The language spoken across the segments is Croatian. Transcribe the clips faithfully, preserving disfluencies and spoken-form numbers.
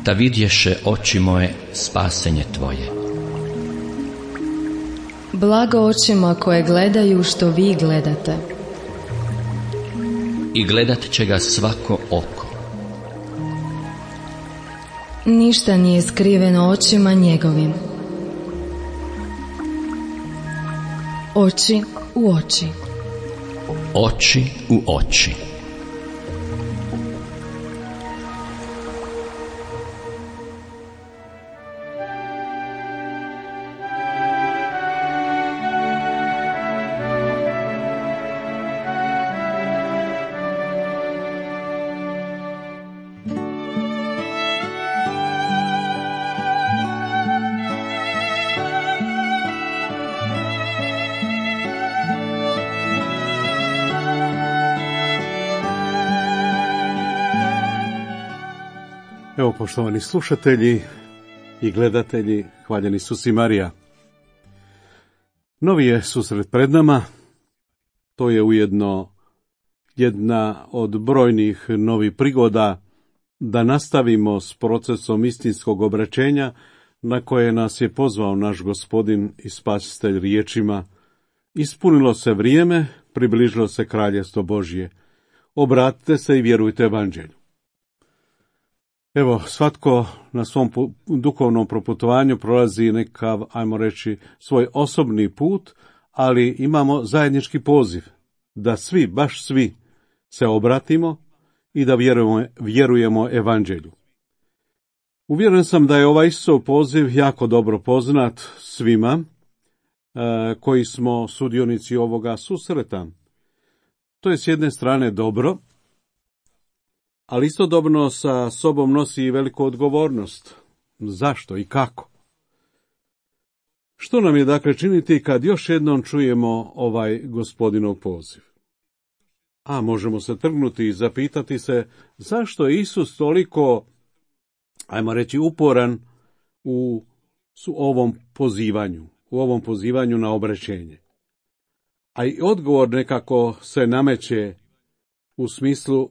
da vidješe oči moje spasenje tvoje. Blago očima koje gledaju što vi gledate. I gledat će ga svako oko. Ništa nije skriveno očima njegovim. Oči u oči. Oči u oči. Evo, poštovani slušatelji i gledatelji, hvaljen Isus i Marija. Novi je susret pred nama, to je ujedno jedna od brojnih novih prigoda da nastavimo s procesom istinskog obraćenja na koje nas je pozvao naš Gospodin i Spasitelj riječima: ispunilo se vrijeme, približilo se Kraljevstvo Božje, obratite se i vjerujte evanđelju. Evo, svatko na svom duhovnom proputovanju prolazi nekav, ajmo reći, svoj osobni put, ali imamo zajednički poziv da svi, baš svi, se obratimo i da vjerujemo, vjerujemo evanđelju. Uvjeren sam da je ovaj Isusov poziv jako dobro poznat svima e, koji smo sudionici ovoga susreta. To je s jedne strane dobro, ali istodobno sa sobom nosi i veliku odgovornost. Zašto i kako? Što nam je dakle činiti kad još jednom čujemo ovaj Gospodinov poziv? A možemo se trgnuti i zapitati se zašto je Isus toliko, ajmo reći, uporan u su ovom pozivanju, u ovom pozivanju na obraćenje. A i odgovor nekako se nameće u smislu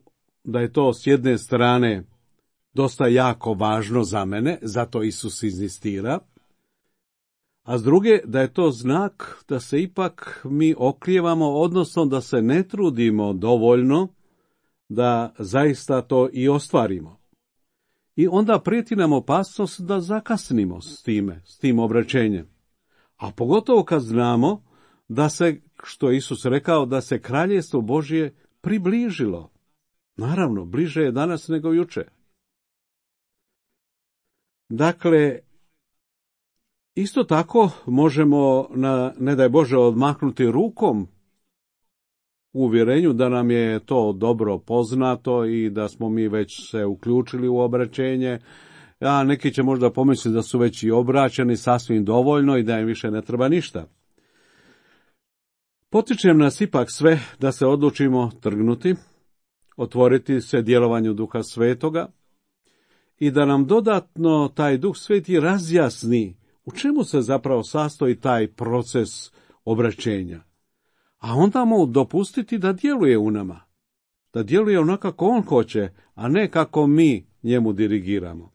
da je to s jedne strane dosta jako važno za mene, zato Isus inzistira, a s druge da je to znak da se ipak mi oklijevamo, odnosno da se ne trudimo dovoljno da zaista to i ostvarimo. I onda prijeti nam opasnost da zakasnimo s time, s tim obraćenjem. A pogotovo kad znamo da se, što je Isus rekao, da se Kraljevstvo Božje približilo. Naravno, bliže je danas nego juče. Dakle, isto tako možemo, na, ne daj Bože, odmahnuti rukom u uvjerenju da nam je to dobro poznato i da smo mi već se uključili u obraćenje, a neki će možda pomisliti da su već i obraćeni sasvim dovoljno i da im više ne treba ništa. Potičem nas ipak sve da se odlučimo trgnuti, otvoriti se djelovanju Duha Svetoga i da nam dodatno taj Duh Sveti razjasni u čemu se zapravo sastoji taj proces obraćenja. A onda mu dopustiti da djeluje u nama, da djeluje onako kako on hoće, a ne kako mi njemu dirigiramo.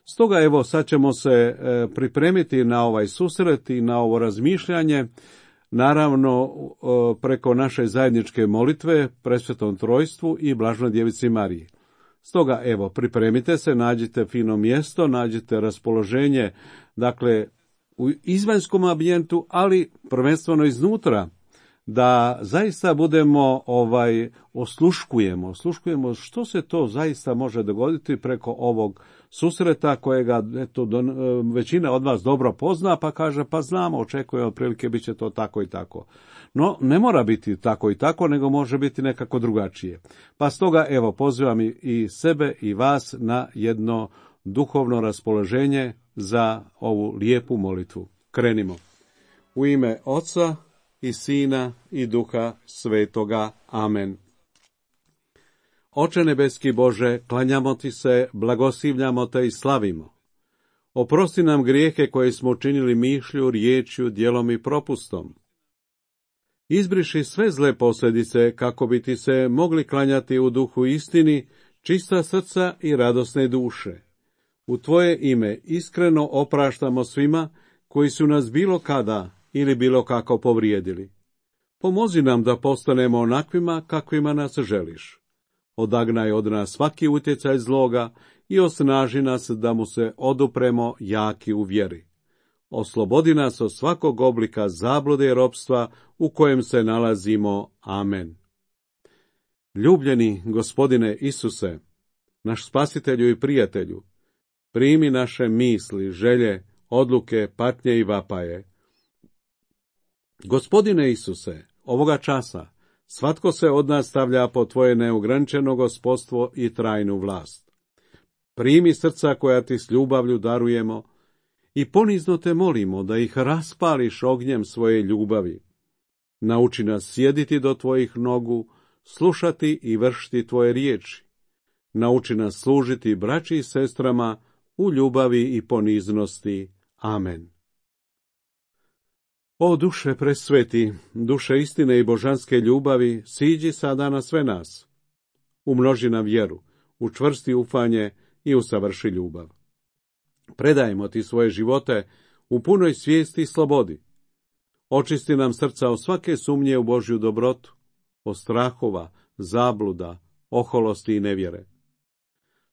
Stoga evo sad ćemo se pripremiti na ovaj susret i na ovo razmišljanje, naravno preko naše zajedničke molitve Presvetom Trojstvu i Blaženoj Djevici Mariji. Stoga evo, pripremite se, nađite fino mjesto, nađite raspoloženje, dakle u izvanjskom ambijentu, ali prvenstveno iznutra, da zaista budemo, ovaj, osluškujemo, osluškujemo što se to zaista može dogoditi preko ovog susreta kojega eto, do, većina od vas dobro pozna, pa kaže, pa znamo, očekujemo, otprilike bit će to tako i tako. No, ne mora biti tako i tako, nego može biti nekako drugačije. Pa stoga, evo, pozivam i sebe i vas na jedno duhovno raspoloženje za ovu lijepu molitvu. Krenimo. U ime Oca i Sina i Duha Svetoga. Amen. Oče nebeski Bože, klanjamo ti se, blagoslivljamo te i slavimo. Oprosti nam grijehe koje smo učinili mišlju, riječju, djelom i propustom. Izbriši sve zle posljedice kako bi ti se mogli klanjati u duhu istini, čista srca i radosne duše. U tvoje ime iskreno opraštamo svima koji su nas bilo kada ili bilo kako povrijedili. Pomozi nam da postanemo onakvima kakvima nas želiš. Odagnaj od nas svaki utjecaj zloga i osnaži nas da mu se odupremo jaki u vjeri. Oslobodi nas od svakog oblika zablude i ropstva u kojem se nalazimo. Amen. Ljubljeni Gospodine Isuse, naš spasitelju i prijatelju, primi naše misli, želje, odluke, patnje i vapaje. Gospodine Isuse, ovoga časa svatko se od nas stavlja pod tvoje neograničeno gospodstvo i trajnu vlast. Primi srca koja ti s ljubavlju darujemo i ponizno te molimo da ih raspališ ognjem svoje ljubavi. Nauči nas sjediti do tvojih nogu, slušati i vršiti tvoje riječi. Nauči nas služiti braći i sestrama u ljubavi i poniznosti. Amen. O duše presveti, duše istine i božanske ljubavi, siđi sada na sve nas. Umnoži nam vjeru, učvrsti ufanje i usavrši ljubav. Predajemo ti svoje živote u punoj svijesti i slobodi. Očisti nam srca od svake sumnje u Božju dobrotu, od strahova, zabluda, oholosti i nevjere.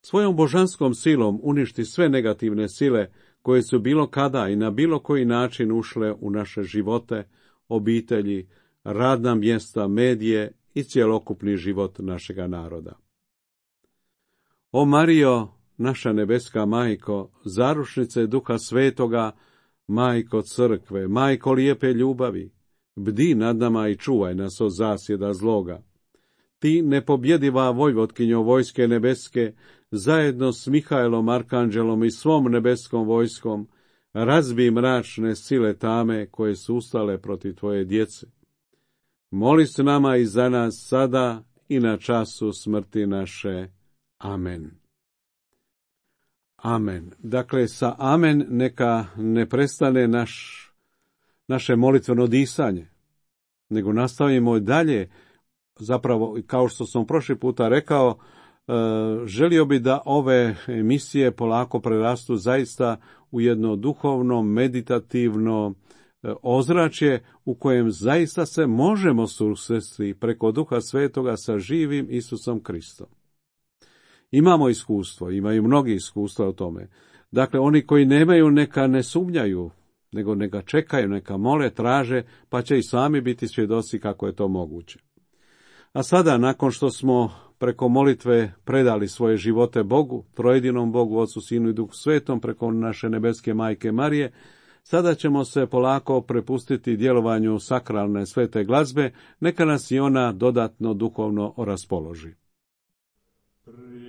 Svojom božanskom silom uništi sve negativne sile koje su bilo kada i na bilo koji način ušle u naše živote, obitelji, radna mjesta, medije i cjelokupni život našega naroda. O Marijo, naša nebeska majko, zarušnice Duha Svetoga, majko crkve, majko lijepe ljubavi, bdi nad nama i čuvaj nas od zasjeda zloga. Ti, nepobjediva vojvotkinjo vojske nebeske, zajedno s Mihajlom Arkanđelom i svom nebeskom vojskom, razbij mračne sile tame koje su ustale protiv tvoje djece. Moli s nama i za nas sada i na času smrti naše. Amen. Amen. Dakle, sa amen neka ne prestane naš, naše molitveno disanje, nego nastavimo dalje. Zapravo, kao što sam prošli puta rekao, želio bi da ove emisije polako prerastu zaista u jedno duhovno, meditativno ozračje u kojem zaista se možemo susresti preko Duha Svetoga sa živim Isusom Kristom. Imamo iskustvo, imaju mnogi iskustva o tome. Dakle, oni koji nemaju, neka ne sumnjaju, nego neka čekaju, neka mole, traže, pa će i sami biti svjedoci kako je to moguće. A sada, nakon što smo preko molitve predali svoje živote Bogu, trojedinom Bogu, Otcu, Sinu i Duhu Svetom, preko naše nebeske majke Marije, sada ćemo se polako prepustiti djelovanju sakralne svete glazbe, neka nas i ona dodatno duhovno raspoloži. Oh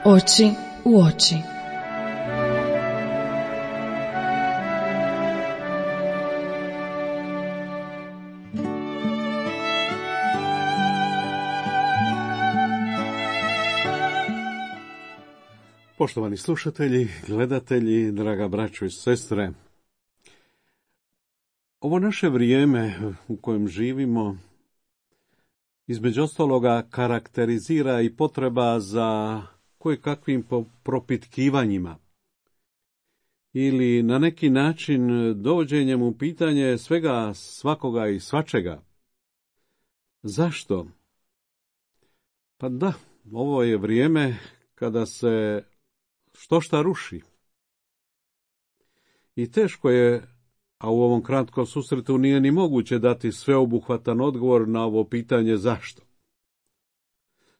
Oči u oči. Poštovani slušatelji, gledatelji, draga braćo i sestre, ovo naše vrijeme u kojem živimo između ostaloga karakterizira i potreba za koje kakvim propitkivanjima ili na neki način dovođenjem u pitanje svega, svakoga i svačega. Zašto? Pa da, ovo je vrijeme kada se što šta ruši. I teško je, a u ovom kratkom susretu nije ni moguće dati sveobuhvatan odgovor na ovo pitanje zašto.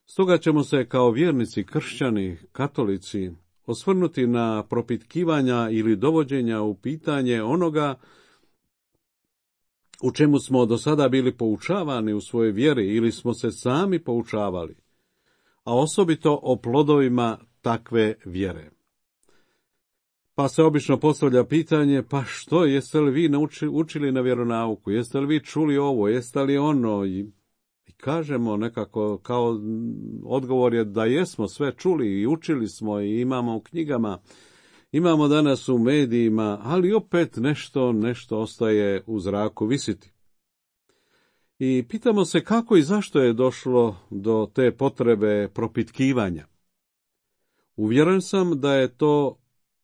Stoga ćemo se kao vjernici, kršćani, katolici osvrnuti na propitkivanja ili dovođenja u pitanje onoga u čemu smo do sada bili poučavani u svojoj vjeri ili smo se sami poučavali, a osobito o plodovima takve vjere. Pa se obično postavlja pitanje, pa što, jeste li vi naučili, učili na vjeronauku, jeste li vi čuli ovo, jeste li ono, i, i kažemo nekako kao odgovor je da jesmo sve čuli i učili smo i imamo u knjigama, imamo danas u medijima, ali opet nešto, nešto ostaje u zraku visiti. I pitamo se kako i zašto je došlo do te potrebe propitkivanja. Uvjeren sam da je to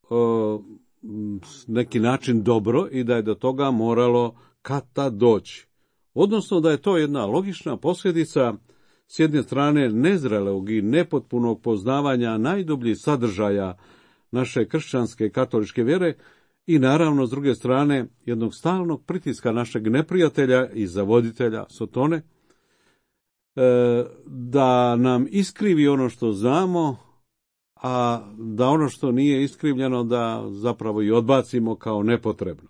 o, neki način dobro i da je do toga moralo kad tad doći. Odnosno da je to jedna logična posljedica s jedne strane nezrelog i nepotpunog poznavanja najdubljih sadržaja naše kršćanske katoličke vjere i naravno s druge strane jednog stalnog pritiska našeg neprijatelja i zavoditelja Sotone da nam iskrivi ono što znamo, a da ono što nije iskrivljeno da zapravo i odbacimo kao nepotrebno.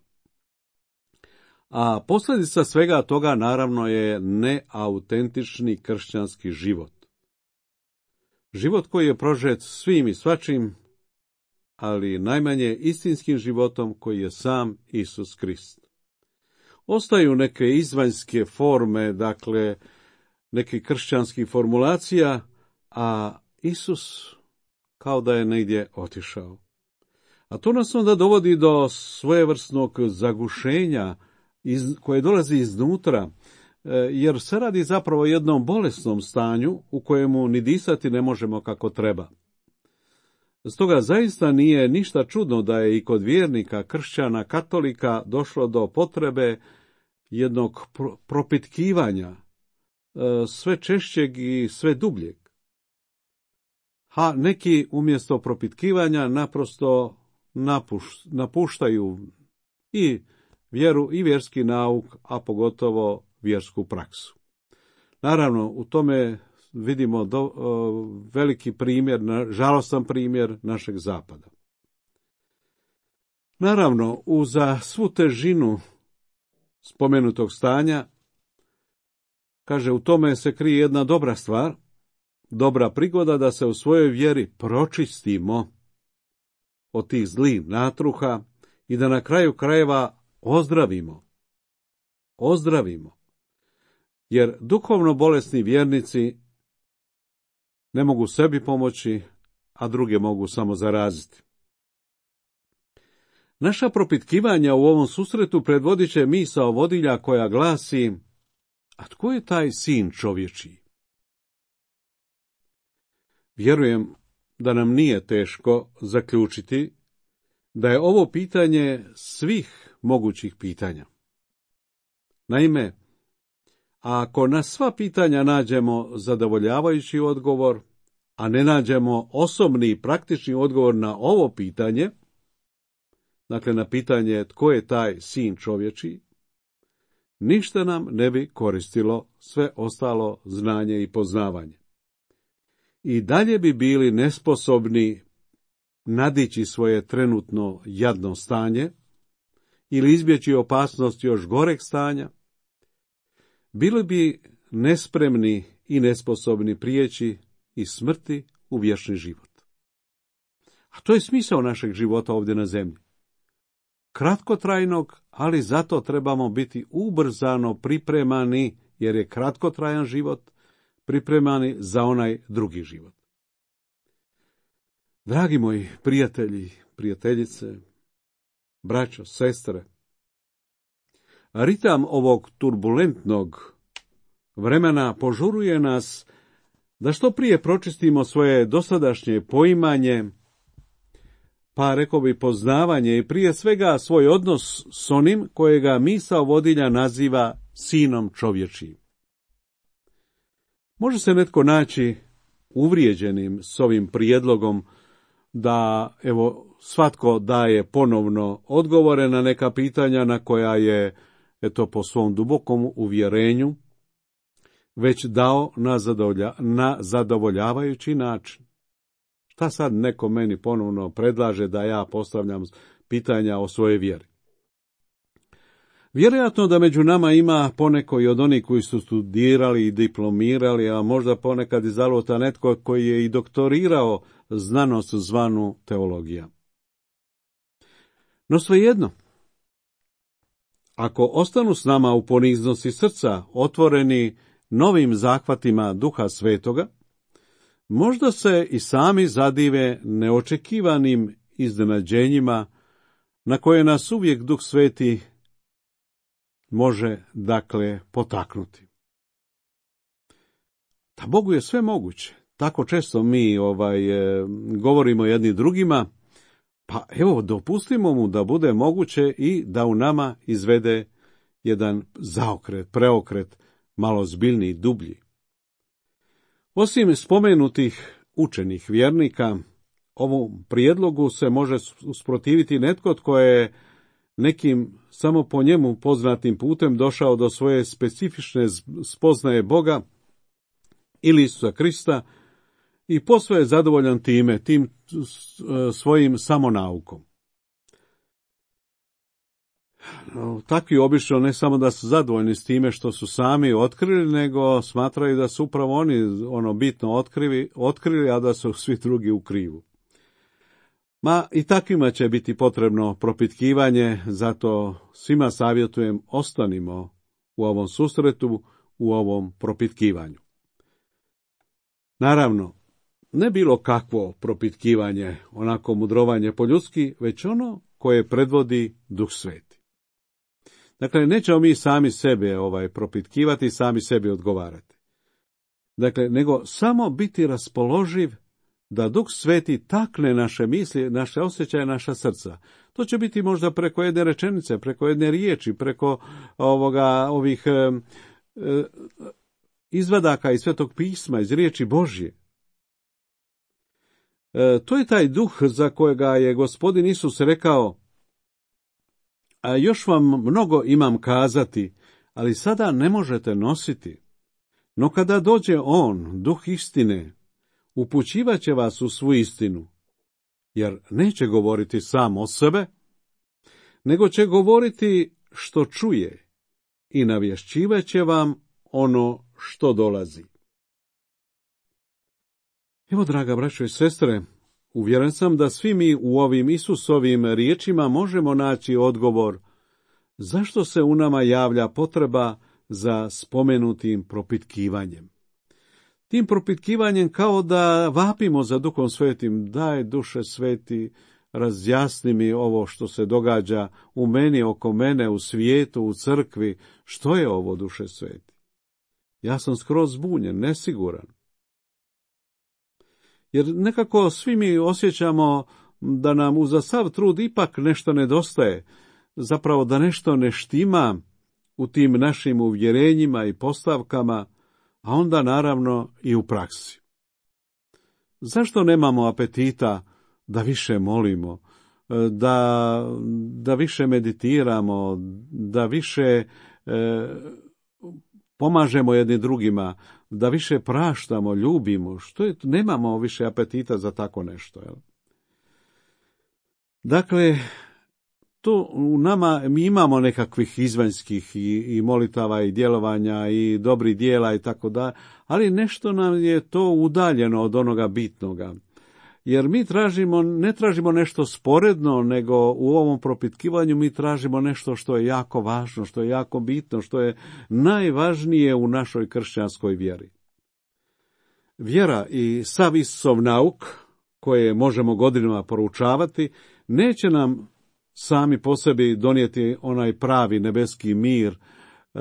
A posljedica svega toga naravno je neautentični kršćanski život. Život koji je prožet svim i svačim, ali najmanje istinskim životom koji je sam Isus Krist. Ostaju neke izvanjske forme, dakle, nekih kršćanskih formulacija, a Isus kao da je negdje otišao. A to nas onda dovodi do svojevrsnog zagušenja iz, koje dolazi iznutra, jer se radi zapravo o jednom bolesnom stanju u kojemu ni disati ne možemo kako treba. Stoga zaista nije ništa čudno da je i kod vjernika, kršćana, katolika došlo do potrebe jednog propitkivanja, sve češćeg i sve dubljeg. A neki umjesto propitkivanja naprosto napuš, napuštaju i vjeru i vjerski nauk, a pogotovo vjersku praksu. Naravno, u tome vidimo do, o, veliki primjer, žalostan primjer našeg zapada. Naravno, uza svu težinu spomenutog stanja, kaže, u tome se krije jedna dobra stvar, dobra prigoda da se u svojoj vjeri pročistimo od tih zlih natruha i da na kraju krajeva ozdravimo. Ozdravimo. Jer duhovno bolesni vjernici ne mogu sebi pomoći, a druge mogu samo zaraziti. Naša propitkivanja u ovom susretu predvodit će misao vodilja koja glasi: a tko je taj sin čovječiji? Vjerujem da nam nije teško zaključiti da je ovo pitanje svih mogućih pitanja. Naime, ako na sva pitanja nađemo zadovoljavajući odgovor, a ne nađemo osobni i praktični odgovor na ovo pitanje, dakle na pitanje tko je taj sin čovječiji, ništa nam ne bi koristilo sve ostalo znanje i poznavanje. I dalje bi bili nesposobni nadići svoje trenutno jadno stanje ili izbjeći opasnost još goreg stanja, bili bi nespremni i nesposobni prijeći iz smrti u vječni život. A to je smisao našeg života ovdje na zemlji. Kratkotrajnog, ali zato trebamo biti ubrzano pripremani, jer je kratkotrajan život, pripremani za onaj drugi život. Dragi moji prijatelji, prijateljice, braćo, sestre, ritam ovog turbulentnog vremena požuruje nas da što prije pročistimo svoje dosadašnje poimanje, pa rekao bi poznavanje i prije svega svoj odnos s onim kojega misao vodilja naziva sinom čovječijim. Može se netko naći uvrijeđenim s ovim prijedlogom da evo svatko daje ponovno odgovore na neka pitanja na koja je eto po svom dubokom uvjerenju već dao na, zadovolja, na zadovoljavajući način. Šta sad neko meni ponovno predlaže da ja postavljam pitanja o svojoj vjeri? Vjerojatno da među nama ima poneko i od onih koji su studirali i diplomirali, a možda ponekad i zaluta netko koji je i doktorirao znanost zvanu teologija. No svejedno, ako ostanu s nama u poniznosti srca, otvoreni novim zahvatima Duha Svetoga, možda se i sami zadive neočekivanim iznenađenjima na koje nas uvijek Duh Sveti može, dakle, potaknuti. Da Bogu je sve moguće. Tako često mi ovaj govorimo jedni drugima, pa evo dopustimo mu da bude moguće i da u nama izvede jedan zaokret, preokret, malo zbiljniji, dublji. Osim spomenutih učenih vjernika, ovom prijedlogu se može usprotiviti netko tko je nekim samo po njemu poznatim putem došao do svoje specifične spoznaje Boga ili Isusa Krista i posve je zadovoljan time, tim svojim samonaukom. Takvi obično ne samo da su zadovoljni s time što su sami otkrili, nego smatraju da su upravo oni ono bitno otkrili, otkrili, a da su svi drugi u krivu. Ma i takvima će biti potrebno propitkivanje, zato svima savjetujem ostanimo u ovom susretu, u ovom propitkivanju. Naravno, ne bilo kakvo propitkivanje, onako mudrovanje po ljudski, već ono koje predvodi Duh Sveti. Dakle, nećemo mi sami sebe ovaj propitkivati, sami sebi odgovarati. Dakle, nego samo biti raspoloživ da Duh Sveti takne naše misli, naše osjećaje, naša srca. To će biti možda preko jedne rečenice, preko jedne riječi, preko ovoga, ovih e, e, izvadaka iz Svetog pisma, iz riječi Božje. E, to je taj duh za kojega je Gospodin Isus rekao: a još vam mnogo imam kazati, ali sada ne možete nositi. No kada dođe On, duh istine, upućivat će vas u svu istinu, jer neće govoriti sam o sebe, nego će govoriti što čuje i navješćivat će vam ono što dolazi. Evo, draga braćo i sestre, uvjeren sam da svi mi u ovim Isusovim riječima možemo naći odgovor zašto se u nama javlja potreba za spomenutim propitkivanjem. Tim propitkivanjem kao da vapimo za Duhom Svetim: daj, Duše Sveti, razjasni mi ovo što se događa u meni, oko mene, u svijetu, u crkvi. Što je ovo, Duše Sveti? Ja sam skroz zbunjen, nesiguran. Jer nekako svi mi osjećamo da nam uza sav trud ipak nešto nedostaje, zapravo da nešto ne štima u tim našim uvjerenjima i postavkama, a onda naravno i u praksi. Zašto nemamo apetita da više molimo, da, da više meditiramo, da više e, pomažemo jedni drugima, da više praštamo, ljubimo? Što je, nemamo više apetita za tako nešto. Jel? Dakle, tu u nama mi imamo nekakvih izvanjskih i, i molitava i djelovanja i dobrih dijela i tako da, ali nešto nam je to udaljeno od onoga bitnoga. Jer mi tražimo, ne tražimo nešto sporedno, nego u ovom propitkivanju mi tražimo nešto što je jako važno, što je jako bitno, što je najvažnije u našoj kršćanskoj vjeri. Vjera i sav Isusov nauk, koje možemo godinama poručavati, neće nam sami po sebi donijeti onaj pravi nebeski mir, e,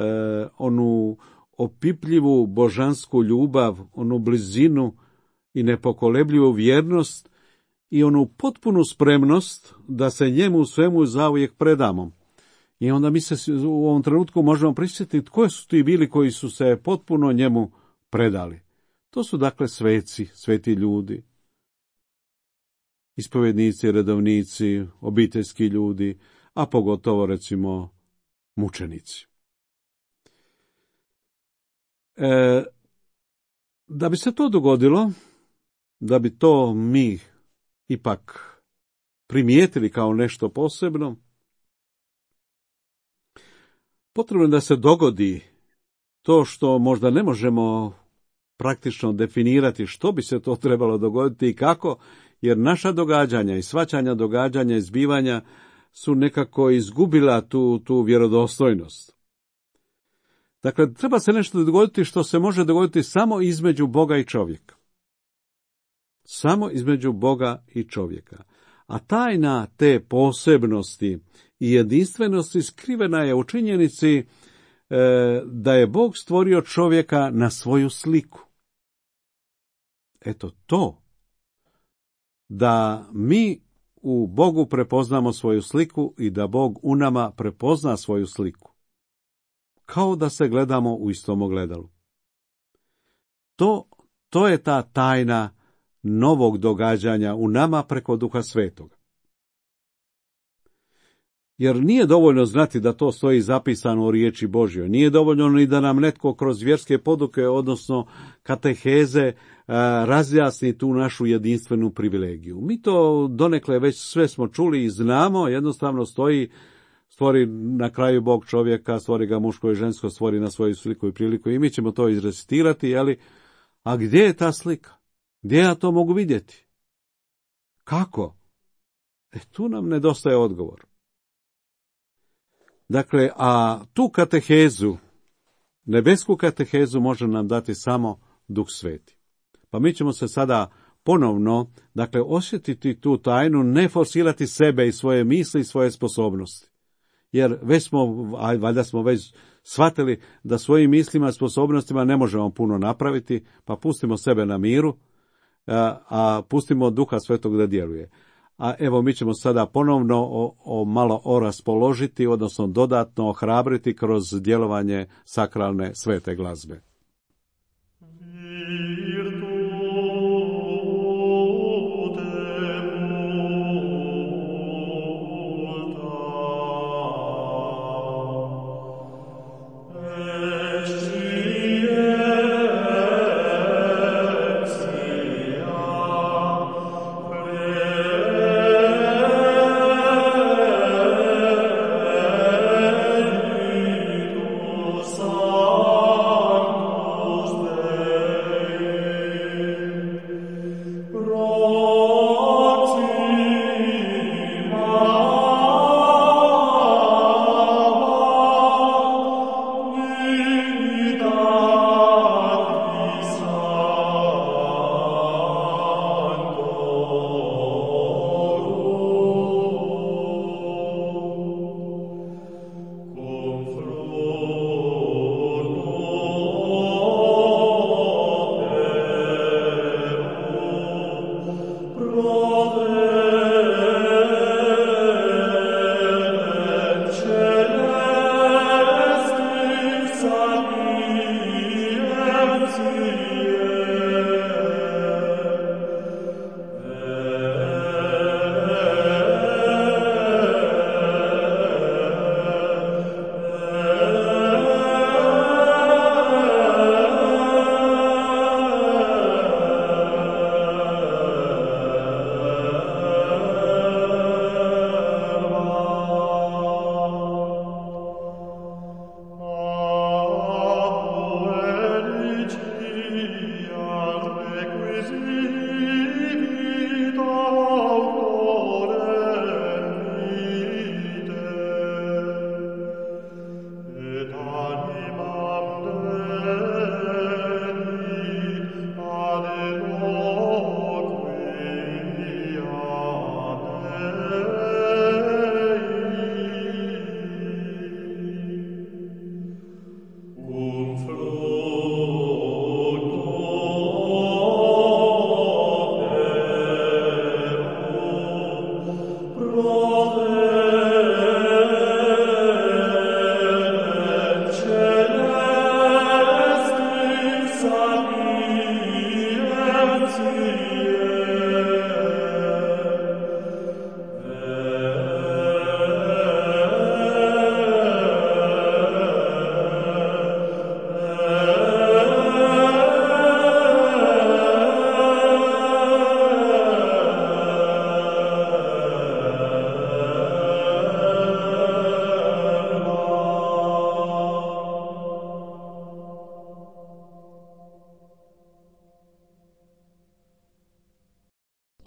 onu opipljivu božansku ljubav, onu blizinu i nepokolebljivu vjernost i onu potpunu spremnost da se njemu svemu zauvijek predamo. I onda mi se u ovom trenutku možemo prisjetiti tko su ti bili koji su se potpuno njemu predali. To su dakle sveci, sveti ljudi, ispovjednici, redovnici, obiteljski ljudi, a pogotovo recimo mučenici. E, da bi se to dogodilo, da bi to mi ipak primijetili kao nešto posebno, potrebno je da se dogodi to što možda ne možemo praktično definirati što bi se to trebalo dogoditi i kako, jer naša događanja i shvaćanja događanja i zbivanja su nekako izgubila tu, tu vjerodostojnost. Dakle, treba se nešto dogoditi što se može dogoditi samo između Boga i čovjeka. Samo između Boga i čovjeka. A tajna te posebnosti i jedinstvenosti skrivena je u činjenici e, da je Bog stvorio čovjeka na svoju sliku. Eto to. Da mi u Bogu prepoznamo svoju sliku i da Bog u nama prepozna svoju sliku. Kao da se gledamo u istom ogledalu. To, to je ta tajna novog događanja u nama preko Duha Svetoga. Jer nije dovoljno znati da to stoji zapisano u riječi Božjoj. Nije dovoljno ni da nam netko kroz vjerske poduke, odnosno kateheze, razjasni tu našu jedinstvenu privilegiju. Mi to donekle već sve smo čuli i znamo, jednostavno stoji, stvori na kraju Bog čovjeka, stvori ga muško i žensko, stvori na svoju sliku i priliku i mi ćemo to izrecitirati, jeli? A gdje je ta slika? Gdje ja to mogu vidjeti? Kako? E, tu nam nedostaje odgovor. Dakle, a tu katehezu, nebesku katehezu može nam dati samo Duh Sveti. Pa mi ćemo se sada ponovno, dakle, osjetiti tu tajnu, ne forsirati sebe i svoje misli i svoje sposobnosti. Jer već smo, a valjda smo već shvatili da svojim mislima i sposobnostima ne možemo puno napraviti, pa pustimo sebe na miru, a, a pustimo Duha Svetog da djeluje. A evo mi ćemo sada ponovno o, o malo oraspoložiti, odnosno dodatno ohrabriti kroz djelovanje sakralne svete glazbe.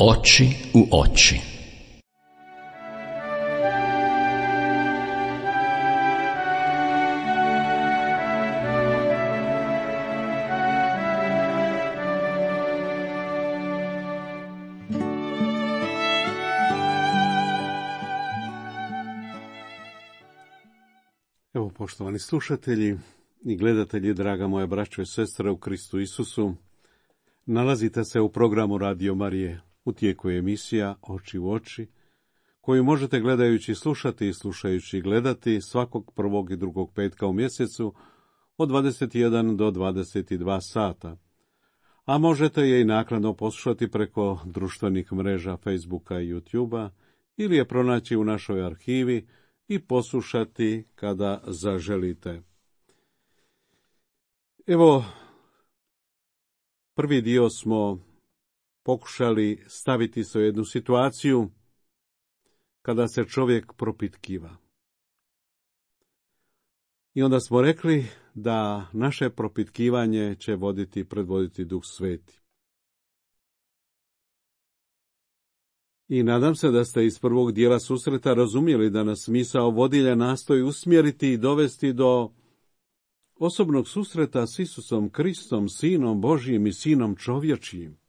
Oči u oči. Evo, poštovani slušatelji i gledatelji, draga moja braćo i sestre u Kristu Isusu, nalazite se u programu Radio Marije. U tijeku je emisija Oči u oči, koju možete gledajući slušati i slušajući gledati svakog prvog i drugog petka u mjesecu od dvadeset jedan do dvadeset dva sata. A možete je i naknadno poslušati preko društvenih mreža Facebooka i YouTubea ili je pronaći u našoj arhivi i poslušati kada zaželite. Evo, prvi dio smo pokušali staviti se u jednu situaciju kada se čovjek propitkiva. I onda smo rekli da naše propitkivanje će voditi, predvoditi Duh Sveti. I nadam se da ste iz prvog dijela susreta razumjeli da nas misao vodilja nastoji usmjeriti i dovesti do osobnog susreta s Isusom Kristom, Sinom Božjim i Sinom čovječijim.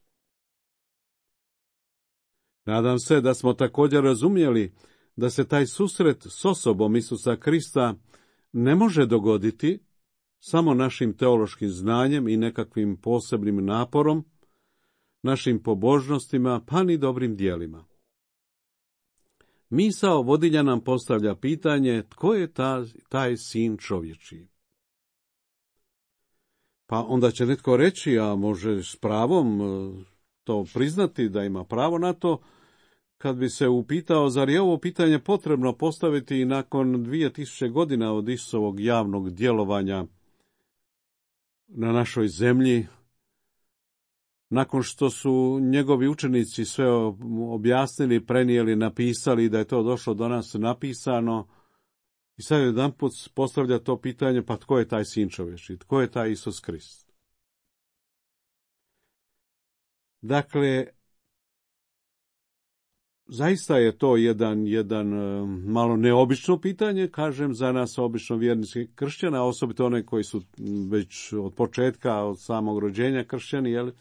Nadam se da smo također razumjeli da se taj susret s osobom Isusa Krista ne može dogoditi samo našim teološkim znanjem i nekakvim posebnim naporom, našim pobožnostima, pa ni dobrim dijelima. Misao vodilja nam postavlja pitanje tko je ta, taj sin čovječiji. Pa onda će netko reći, a može s pravom to priznati da ima pravo na to, kad bi se upitao, zar je ovo pitanje potrebno postaviti i nakon dvije tisuće godina od Isusovog javnog djelovanja na našoj zemlji, nakon što su njegovi učenici sve objasnili, prenijeli, napisali, da je to došlo do nas napisano, i sad jedanput postavlja to pitanje, pa tko je taj sin čovječji, tko je taj Isus Krist? Dakle, zaista je to jedan, jedan malo neobično pitanje, kažem, za nas obično vjerničkih kršćana, osobito one koji su već od početka, od samog rođenja kršćani, jel?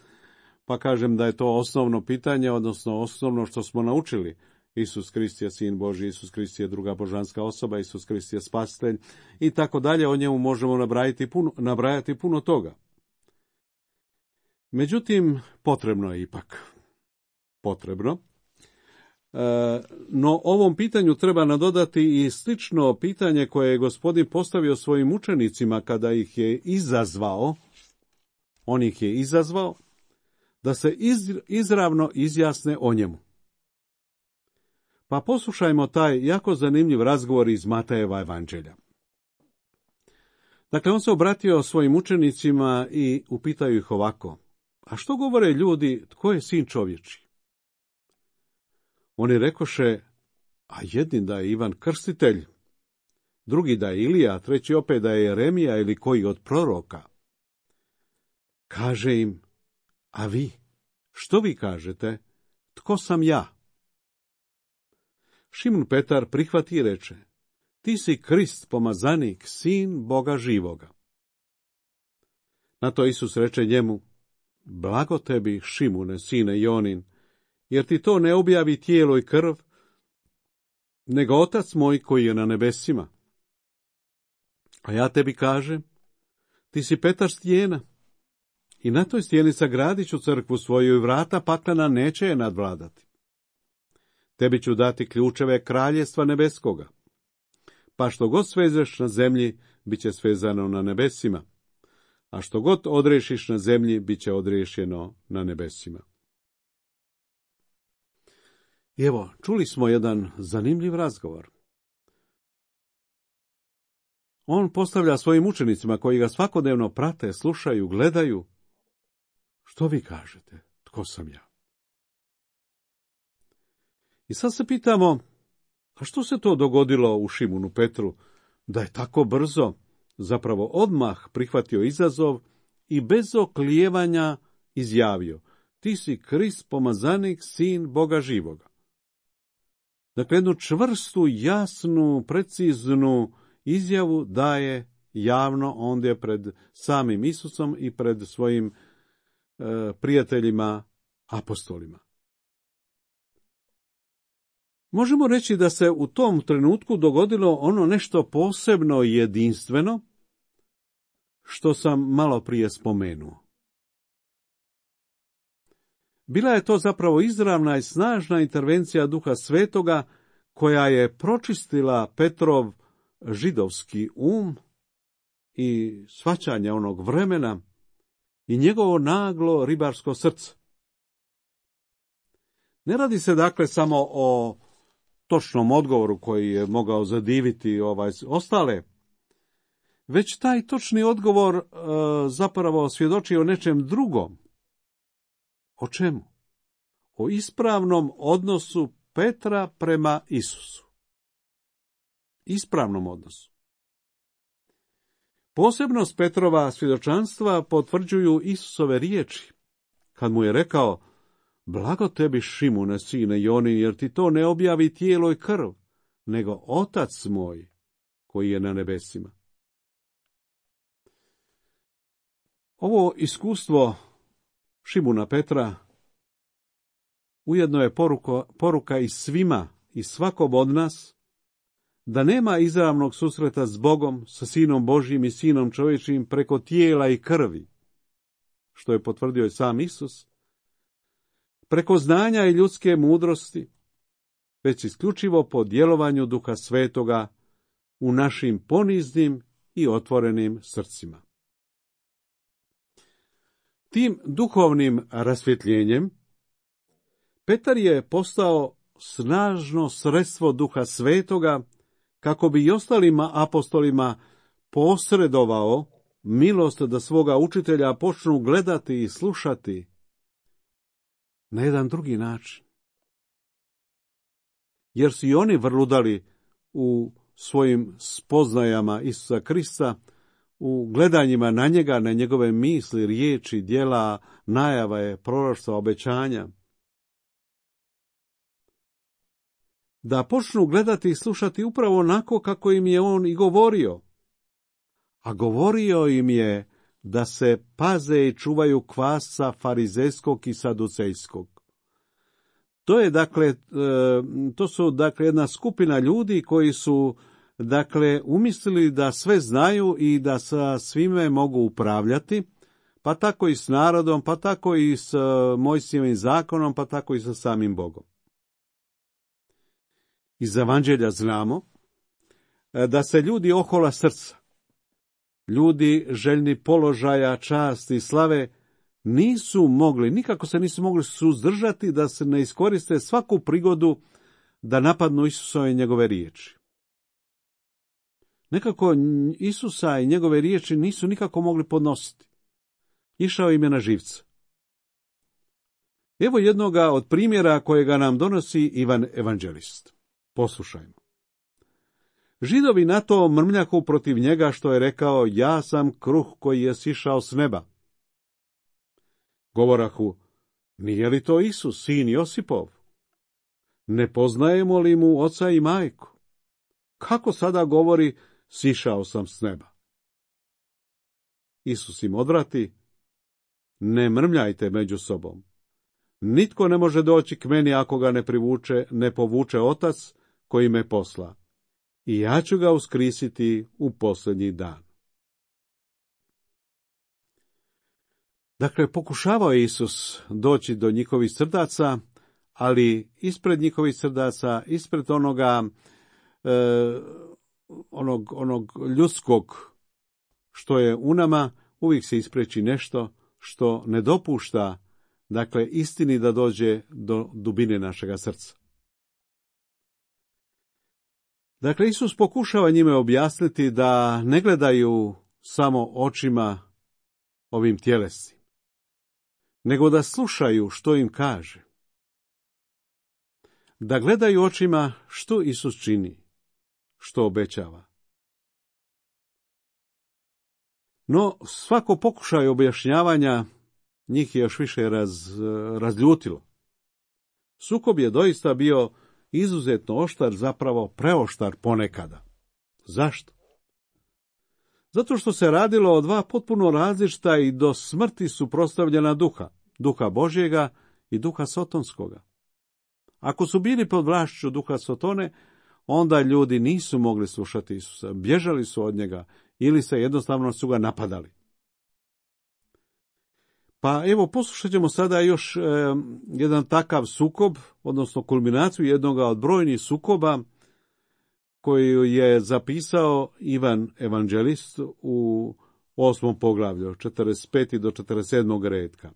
Pa kažem da je to osnovno pitanje, odnosno osnovno što smo naučili. Isus Krist je sin Božji, Isus Krist je druga božanska osoba, Isus Krist je spasitelj i tako dalje, o njemu možemo nabrajati puno, nabrajati puno toga. Međutim, potrebno je ipak. Potrebno. No, ovom pitanju treba nadodati i slično pitanje koje je Gospodin postavio svojim učenicima kada ih je izazvao On ih je izazvao da se iz, izravno izjasne o njemu. Pa poslušajmo taj jako zanimljiv razgovor iz Matejeva evanđelja. Dakle, on se obratio svojim učenicima i upitao ih ovako: a što govore ljudi, tko je sin čovječji? Oni rekoše: a jedni da je Ivan Krstitelj, drugi da je Ilija, treći opet da je Jeremija ili koji od proroka. Kaže im: a vi, što vi kažete, tko sam ja? Šimun Petar prihvati i reče: ti si Krist, pomazanik, sin Boga živoga. Na to Isus reče njemu: blago tebi, Šimune, sine Jonin, jer ti to ne objavi tijelo i krv, nego Otac moj koji je na nebesima. A ja tebi kažem, ti si Petar stijena, i na toj stijeni sagradit ću crkvu svoju i vrata paklena neće je nadvladati. Tebi ću dati ključeve kraljestva nebeskoga, pa što god svezeš na zemlji, bit će svezano na nebesima, a što god odrešiš na zemlji, bit će odriješeno na nebesima. I evo, čuli smo jedan zanimljiv razgovor. On postavlja svojim učenicima koji ga svakodnevno prate, slušaju, gledaju: što vi kažete, tko sam ja? I sad se pitamo, a što se to dogodilo u Šimunu Petru, da je tako brzo, zapravo odmah prihvatio izazov i bez oklijevanja izjavio: ti si Krist, pomazanik, sin Boga živoga. Dakle, jednu čvrstu, jasnu, preciznu izjavu daje javno ondje pred samim Isusom i pred svojim e, prijateljima, apostolima. Možemo reći da se u tom trenutku dogodilo ono nešto posebno i jedinstveno, što sam malo prije spomenuo. Bila je to zapravo izravna i snažna intervencija Duha Svetoga, koja je pročistila Petrov židovski um i shvaćanje onog vremena i njegovo naglo ribarsko srce. Ne radi se dakle samo o točnom odgovoru koji je mogao zadiviti ovaj ostale, već taj točni odgovor e, zapravo svjedoči o nečem drugom. O čemu? O ispravnom odnosu Petra prema Isusu. Ispravnom odnosu. Posebnost Petrova svjedočanstva potvrđuju Isusove riječi, kad mu je rekao: blago tebi, Šimune, sine Jonin, jer ti to ne objavi tijelo i krv, nego Otac moj koji je na nebesima. Ovo iskustvo Šimuna Petra ujedno je poruka, poruka i svima i svakom od nas, da nema izravnog susreta s Bogom, sa Sinom Božjim i Sinom čovječim preko tijela i krvi, što je potvrdio i sam Isus, preko znanja i ljudske mudrosti, već isključivo po djelovanju Duha Svetoga u našim poniznim i otvorenim srcima. Tim duhovnim rasvjetljenjem Petar je postao snažno sredstvo Duha Svetoga kako bi i ostalima apostolima posredovao milost da svoga učitelja počnu gledati i slušati na jedan drugi način. Jer su i oni vrludali u svojim spoznajama Isusa Krista, u gledanjima na njega, na njegove misli, riječi, djela, najave, proroštva, obećanja. Da počnu gledati i slušati upravo onako kako im je on i govorio. A govorio im je da se paze i čuvaju kvasca farizejskog i saducejskog. To je dakle, to su dakle jedna skupina ljudi koji su dakle umislili da sve znaju i da sa svime mogu upravljati, pa tako i s narodom, pa tako i s Mojsijevim zakonom, pa tako i sa samim Bogom. Iz evanđelja znamo da se ljudi ohola srca ljudi željni položaja, časti i slave nisu mogli, nikako se nisu mogli suzdržati da se ne iskoriste svaku prigodu da napadnu Isusa i njegove riječi. Nekako Isusa i njegove riječi nisu nikako mogli podnositi. Išao im je na živce. Evo jednoga od primjera kojega nam donosi Ivan Evanđelist. Poslušajmo. Židovi na to mrmljahu protiv njega što je rekao, ja sam kruh koji je sišao s neba. Govorahu, nije li to Isus, sin Josipov? Ne poznajemo li mu oca i majku? Kako sada govori, sišao sam s neba? Isus im odvrati, ne mrmljajte među sobom. Nitko ne može doći k meni ako ga ne privuče, ne povuče otac koji me posla. I ja ću ga uskrisiti u posljednji dan. Dakle, pokušavao je Isus doći do njihovih srdaca, ali ispred njihovih srdaca, ispred onoga, e, onog, onog ljudskog što je u nama, uvijek se ispreči nešto što ne dopušta, dakle, istini da dođe do dubine našega srca. Dakle, Isus pokušava njime objasniti da ne gledaju samo očima ovim tjelesnim, nego da slušaju što im kaže. Da gledaju očima što Isus čini, što obećava. No, svako pokušaj objašnjavanja njih je još više raz, razljutilo. Sukob je doista bio izuzetno oštar, zapravo preoštar ponekada. Zašto? Zato što se radilo o dva potpuno različita i do smrti suprotstavljena duha, duha Božjega i duha sotonskoga. Ako su bili pod vlašću duha Sotone, onda ljudi nisu mogli slušati Isusa, bježali su od njega ili se jednostavno su ga napadali. Pa evo, poslušat ćemo sada još e, jedan takav sukob, odnosno kulminaciju jednoga od brojnih sukoba koju je zapisao Ivan Evanđelist u osmom poglavlju, četrdeset pet do četrdeset sedam redka.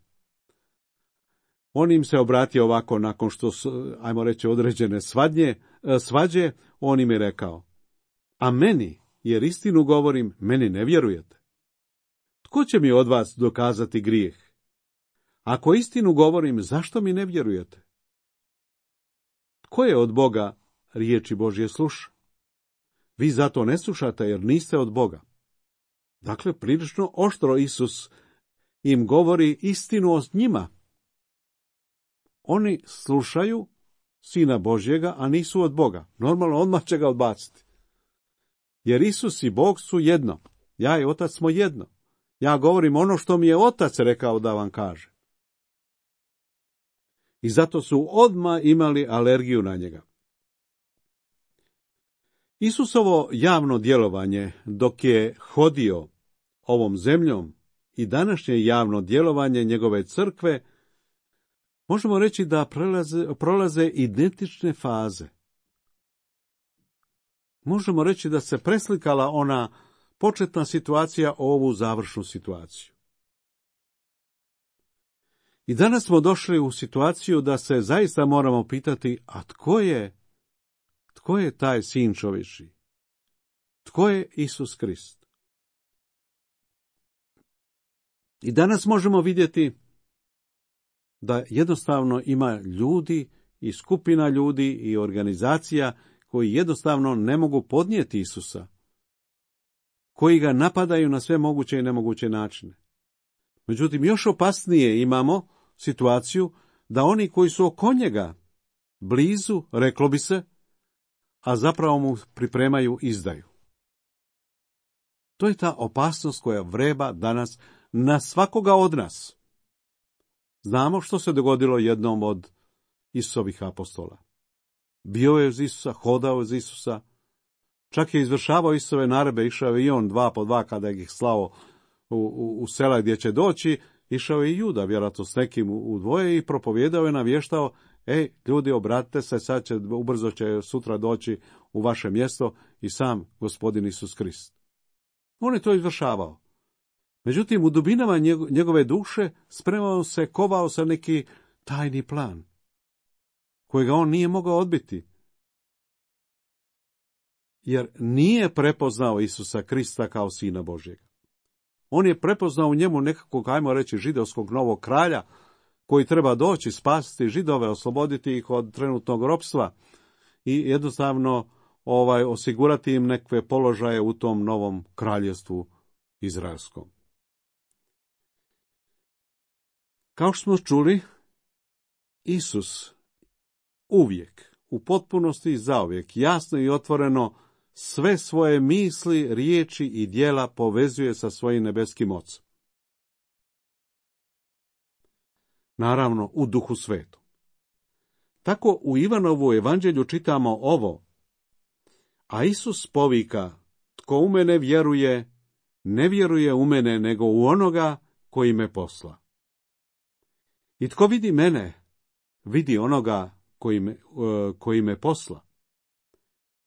On im se obratio ovako nakon što su, ajmo reći, određene svadnje, svađe, on im je rekao, a meni, jer istinu govorim, meni ne vjerujete. Tko će mi od vas dokazati grijeh? Ako istinu govorim, zašto mi ne vjerujete? Tko je od Boga riječi Božje sluša? Vi zato ne slušate jer niste od Boga. Dakle, prilično oštro Isus im govori istinu o njima. Oni slušaju Sina Božjega, a nisu od Boga. Normalno, odmah će ga odbaciti. Jer Isus i Bog su jedno. Ja i Otac smo jedno. Ja govorim ono što mi je Otac rekao da vam kaže. I zato su odmah imali alergiju na njega. Isusovo javno djelovanje dok je hodio ovom zemljom i današnje javno djelovanje njegove crkve, možemo reći da prolaze, prolaze identične faze. Možemo reći da se preslikala ona početna situacija u ovu završnu situaciju. I danas smo došli u situaciju da se zaista moramo pitati, a tko je, tko je taj sin čovječji? Tko je Isus Krist? I danas možemo vidjeti da jednostavno ima ljudi i skupina ljudi i organizacija koji jednostavno ne mogu podnijeti Isusa, koji ga napadaju na sve moguće i nemoguće načine. Međutim, još opasnije imamo situaciju da oni koji su oko njega blizu, reklo bi se, a zapravo mu pripremaju izdaju. To je ta opasnost koja vreba danas na svakoga od nas. Znamo što se dogodilo jednom od Isusovih apostola. Bio je uz Isusa, hodao uz Isusa, čak je izvršavao Isusove naredbe, išao je i on dva po dva kada ih slao u, u, u sela gdje će doći, išao je i Juda, vjerojatno s nekim u dvoje i propovijedao je, navještao, ej, ljudi, obratite se, sad će, ubrzo će sutra doći u vaše mjesto i sam Gospodin Isus Krist. On je to izvršavao. Međutim, u dubinama njegove duše spremao se, kovao se neki tajni plan, kojega on nije mogao odbiti. Jer nije prepoznao Isusa Krista kao Sina Božjega. On je prepoznao u njemu nekakvog, ajmo reći, židovskog novog kralja, koji treba doći, spasiti Židove, osloboditi ih od trenutnog ropstva i jednostavno ovaj, osigurati im nekakve položaje u tom novom kraljevstvu izraelskom. Kao što smo čuli, Isus uvijek, u potpunosti i zauvijek, jasno i otvoreno sve svoje misli, riječi i djela povezuje sa svojim nebeskim Ocem. Naravno, u Duhu Svetom. Tako u Ivanovu evanđelju čitamo ovo: a Isus povika, tko u mene vjeruje, ne vjeruje u mene, nego u onoga koji me posla. I tko vidi mene, vidi onoga koji me, koji me posla.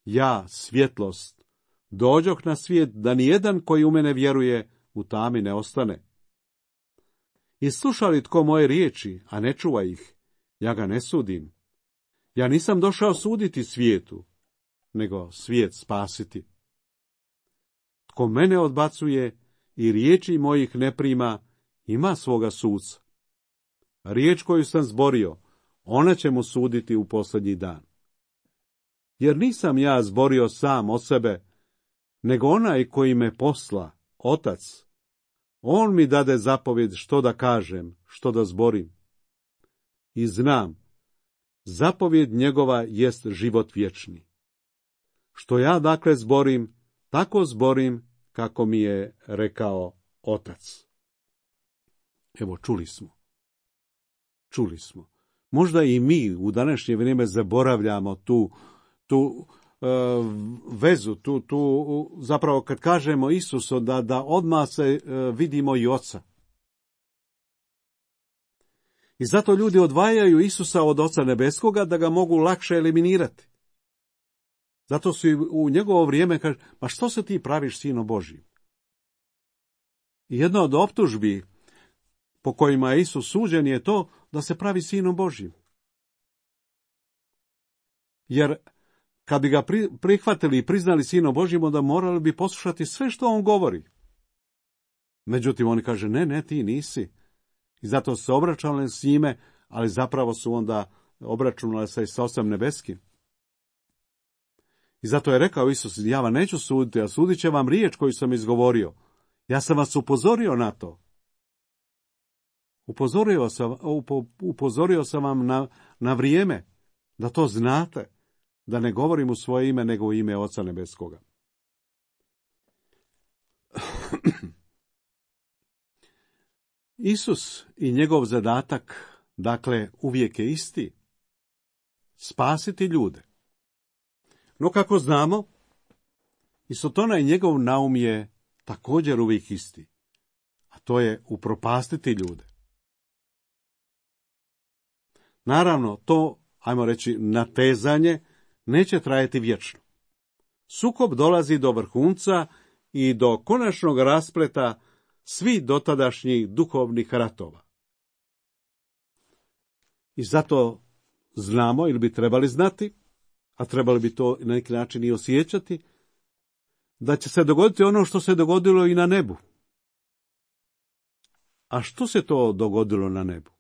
Ja, svjetlost, dođoh na svijet da nijedan koji u mene vjeruje u tami ne ostane. I sluša li tko moje riječi, a ne čuva ih, ja ga ne sudim. Ja nisam došao suditi svijetu, nego svijet spasiti. Tko mene odbacuje i riječi mojih ne prima, ima svoga suca. Riječ koju sam zborio, ona će mu suditi u posljednji dan. Jer nisam ja zborio sam od sebe, nego onaj koji me posla, Otac. On mi dade zapovjed što da kažem, što da zborim. I znam, zapovjed njegova jest život vječni. Što ja dakle zborim, tako zborim kako mi je rekao Otac. Evo, čuli smo. Čuli smo. Možda i mi u današnje vrijeme zaboravljamo tu, tu e, vezu, tu, tu zapravo kad kažemo Isusu da, da odmah se e, vidimo i Oca. I zato ljudi odvajaju Isusa od Oca Nebeskoga da ga mogu lakše eliminirati. Zato su i u njegovo vrijeme kaže, ma što se ti praviš Sino Božji? I jedna od optužbi po kojima je Isus suđen je to da se pravi Sinom Božjim. Jer kad bi ga prihvatili i priznali Sinom Božjim, onda morali bi poslušati sve što on govori. Međutim, on kaže, ne, ne, ti nisi. I zato se obračunali s njime, ali zapravo su onda obračunali se i sa Ocem Nebeskim. I zato je rekao Isus, ja vam neću suditi, a sudit će vam riječ koju sam izgovorio. Ja sam vas upozorio na to. Upozorio sam, upozorio sam vam na, na vrijeme, da to znate, da ne govorim u svoje ime, nego u ime Oca Nebeskoga. Isus i njegov zadatak, dakle, uvijek je isti. Spasiti ljude. No, kako znamo, i Sotona i njegov naum je također uvijek isti. A to je upropastiti ljude. Naravno, to, ajmo reći, natezanje neće trajati vječno. Sukob dolazi do vrhunca i do konačnog raspleta svih dotadašnjih duhovnih ratova. I zato znamo, ili bi trebali znati, a trebali bi to na neki način i osjećati, da će se dogoditi ono što se dogodilo i na nebu. A što se to dogodilo na nebu?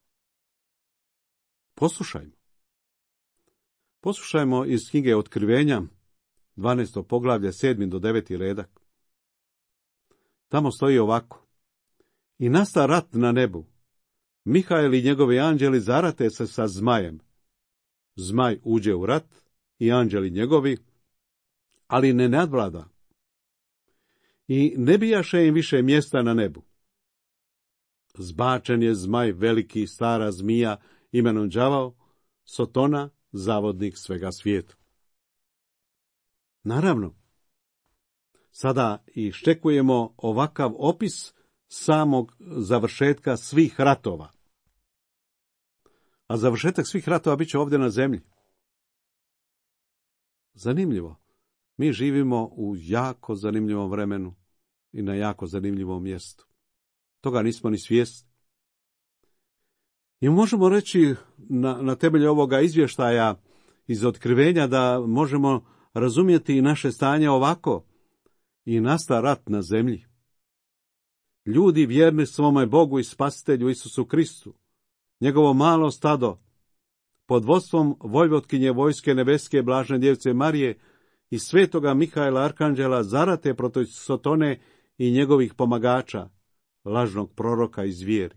Poslušajmo. Poslušajmo iz knjige Otkrivenja, dvanaesto poglavlje, sedmi do deveti redak. Tamo stoji ovako. I nasta rat na nebu. Mihael i njegovi anđeli zarate se sa zmajem. Zmaj uđe u rat i anđeli njegovi, ali ne nadvlada. I ne bijaše im više mjesta na nebu. Zbačen je zmaj, veliki stara zmija, imenom đavao, Sotona, zavodnik svega svijeta. Naravno, sada iščekujemo ovakav opis samog završetka svih ratova. A završetak svih ratova bit će ovdje na zemlji. Zanimljivo. Mi živimo u jako zanimljivom vremenu i na jako zanimljivom mjestu. Toga nismo ni svjesni. I možemo reći na, na temelju ovoga izvještaja iz otkrivenja da možemo razumjeti i naše stanje ovako. I nasta rat na zemlji. Ljudi vjerni svome Bogu i Spasitelju Isusu Kristu, njegovo malo stado, pod vodstvom vojvotkinje vojske nebeske blažene djevice Marije i svetoga Mihaela Arkanđela zarate protiv Sotone i njegovih pomagača, lažnog proroka i zvijeri.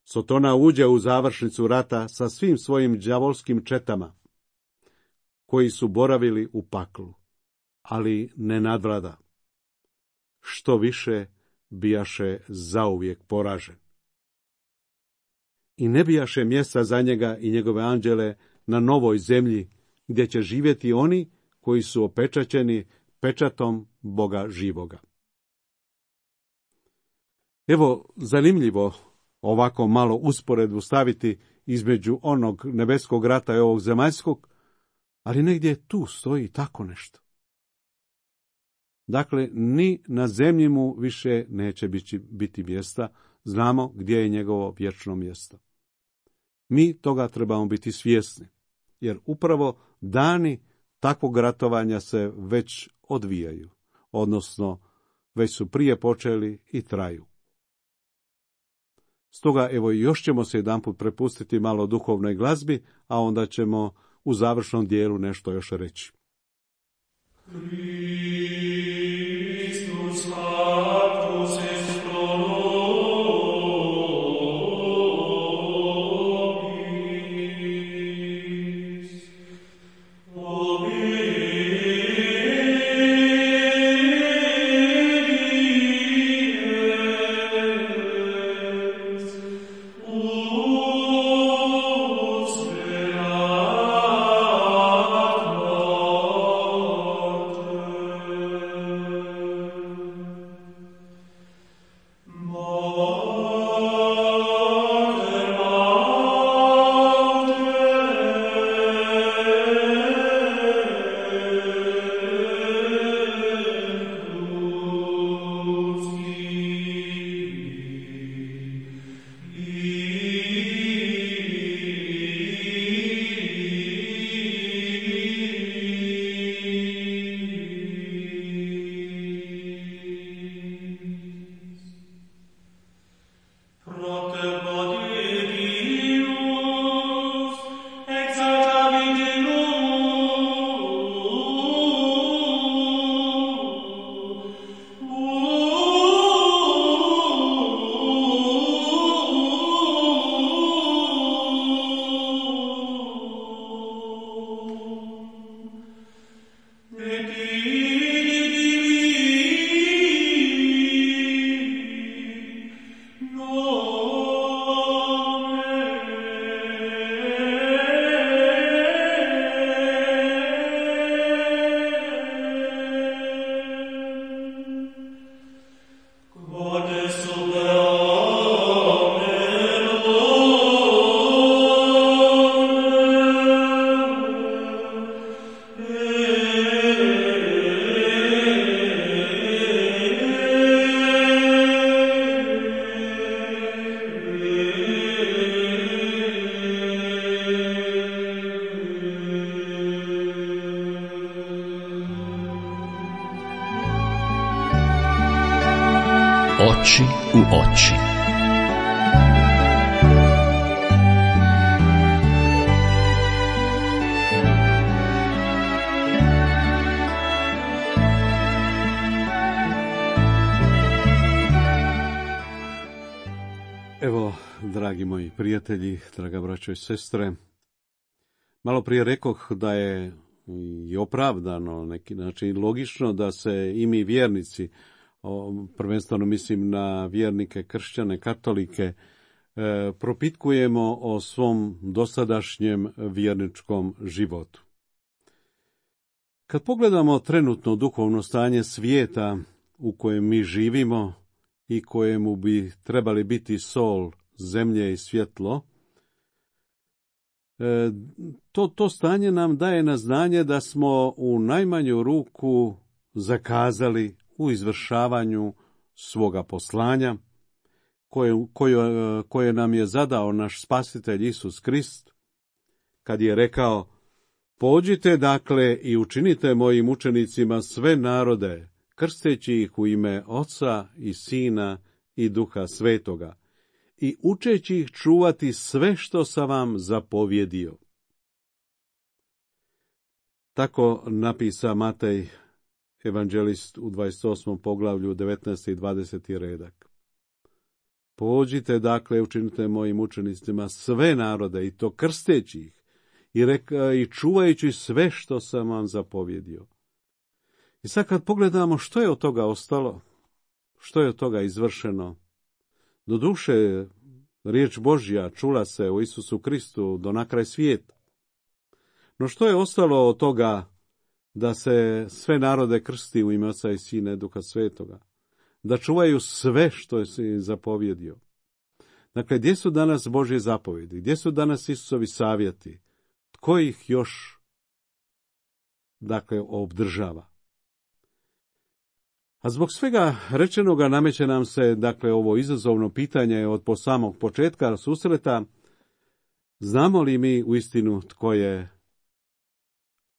Sotona uđe u završnicu rata sa svim svojim đavolskim četama, koji su boravili u paklu, ali ne nadvlada. Što više, bijaše zauvijek poražen. I ne bijaše mjesta za njega i njegove anđele na novoj zemlji, gdje će živjeti oni koji su opečaćeni pečatom Boga živoga. Evo, zanimljivo ovako malo usporedbu staviti između onog nebeskog rata i ovog zemaljskog, ali negdje tu stoji tako nešto. Dakle, ni na zemlji mu više neće biti, biti mjesta, znamo gdje je njegovo vječno mjesto. Mi toga trebamo biti svjesni, jer upravo dani takvog ratovanja se već odvijaju, odnosno već su prije počeli i traju. Stoga evo još ćemo se jedanput prepustiti malo duhovnoj glazbi, a onda ćemo u završnom dijelu nešto još reći. Christus Sanctus est pro nobis. Oči u oči. Evo, dragi moji prijatelji, draga braćo i sestre, malo prije rekoh da je i opravdano, neki način logično da se i mi vjernici, prvenstveno mislim na vjernike, kršćane, katolike, propitkujemo o svom dosadašnjem vjerničkom životu. Kad pogledamo trenutno duhovno stanje svijeta u kojem mi živimo i kojemu bi trebali biti sol, zemlje i svjetlo, to, to stanje nam daje na znanje da smo u najmanju ruku zakazali u izvršavanju svoga poslanja, koje, koje, koje nam je zadao naš spasitelj Isus Krist, kad je rekao: pođite dakle i učinite mojim učenicima sve narode, krsteći ih u ime Oca i Sina i Duha Svetoga, i učeći ih čuvati sve što sam vam zapovjedio. Tako napisa Matej, evanđelist, u dvadeset osmom poglavlju, devetnaesti i dvadeseti redak. Pođite dakle, učinite mojim učenicima sve narode, i to krsteći ih, i, reka, i čuvajući sve što sam vam zapovjedio. I sad kad pogledamo što je od toga ostalo, što je od toga izvršeno, doduše riječ Božja čula se u Isusu Kristu do na kraj svijeta. No što je ostalo od toga da se sve narode krsti u ime Oca i Sina i Duha Svetoga? Da čuvaju sve što je se zapovjedio. Dakle, gdje su danas Božje zapovjedi? Gdje su danas Isusovi savjeti? Tko ih još, dakle, obdržava? A zbog svega rečenoga nameće nam se, dakle, ovo izazovno pitanje od po samog početka susreta: znamo li mi uistinu tko je,